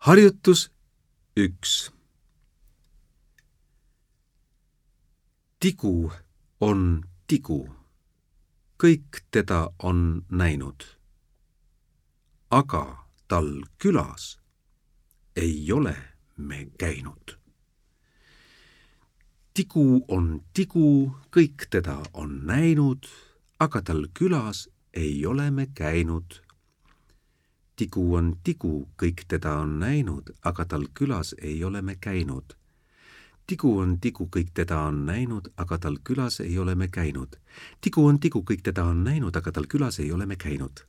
Harjutus 1. Tigu on tigu. Kõik teda on näinud. Aga tal külas ei ole me käinud. Tigu on tigu, kõik teda on näinud, aga tal külas ei ole me käinud. Tigu on tigu, kõik teda on näinud, aga tal külas ei ole me käinud. Tigu on tigu, kõik teda on näinud, aga tal külas ei ole me käinud. Tigu on tigu, kõik teda on näinud, aga tal külas ei ole me käinud.